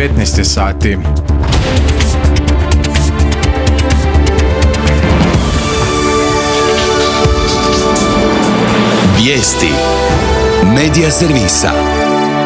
15 sati. Vijesti Medija servisa.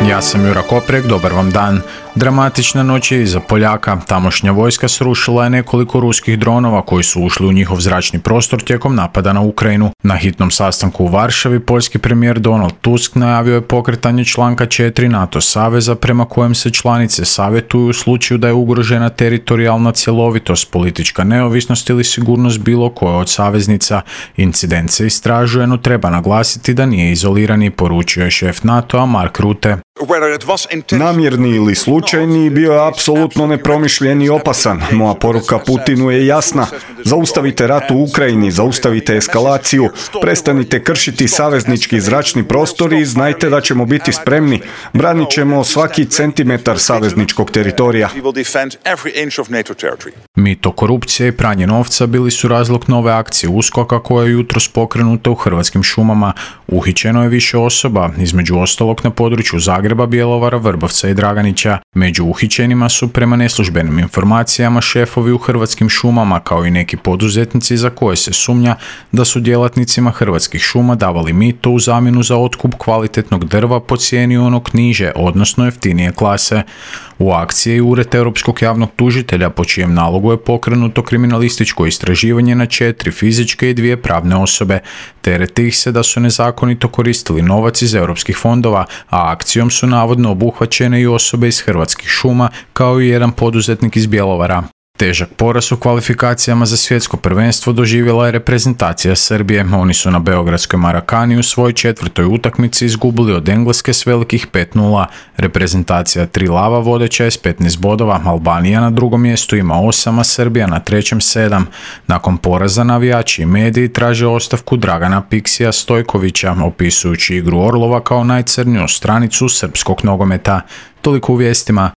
Ja sam Jura Koprek, dobar vam dan. Dramatična noć je iza Poljaka. Tamošnja vojska srušila je nekoliko ruskih dronova koji su ušli u njihov zračni prostor tijekom napada na Ukrajinu. Na hitnom sastanku u Varšavi poljski premijer Donald Tusk najavio je pokretanje članka 4 NATO saveza prema kojem se članice savjetuju u slučaju da je ugrožena teritorijalna cjelovitost, politička neovisnost ili sigurnost bilo koje od saveznica. Incident se istražuje, no treba naglasiti da nije izolirani, poručio je šef NATO-a Mark Rutte. Namjerni ili slučajni bio je apsolutno nepromišljen i opasan. Moja poruka Putinu je jasna. Zaustavite rat u Ukrajini, zaustavite eskalaciju, prestanite kršiti saveznički zračni prostor i znajte da ćemo biti spremni. Branit ćemo svaki centimetar savezničkog teritorija. Mito, korupcija i pranje novca bili su razlog nove akcije USKOK-a koja je jutros pokrenuta u Hrvatskim šumama. Uhićeno je više osoba, između ostalog na području Zagreba, Bjelovara, Vrbovca i Draganića. Među uhićenima su prema neslužbenim informacijama šefovi u Hrvatskim šumama kao i neki poduzetnici za koje se sumnja da su djelatnicima Hrvatskih šuma davali mito u zamjenu za otkup kvalitetnog drva po cijeni onog niže, odnosno jeftinije klase. U akciji je Ured Europskog javnog tužitelja po čijem nalogu je pokrenuto kriminalističko istraživanje na 4 fizičke i 2 pravne osobe. Tereti ih se da su nezakonito koristili novac iz europskih fondova, a akcijom su navodno obuhvaćene i osobe iz Hrvatskih šuma kao i jedan poduzetnik iz Bjelovara. Težak poraz u kvalifikacijama za svjetsko prvenstvo doživjela je reprezentacija Srbije. Oni su na beogradskoj Marakani u svojoj 4. utakmici izgubili od Engleske s velikih 5:0. Reprezentacija Tri lava vodeća je s 15 bodova, Albanija na drugom mjestu ima 8, a Srbija na trećem 7. Nakon poraza navijači i mediji traže ostavku Dragana Piksija Stojkovića, opisujući igru Orlova kao najcrniju stranicu srpskog nogometa. Toliko u vijestima.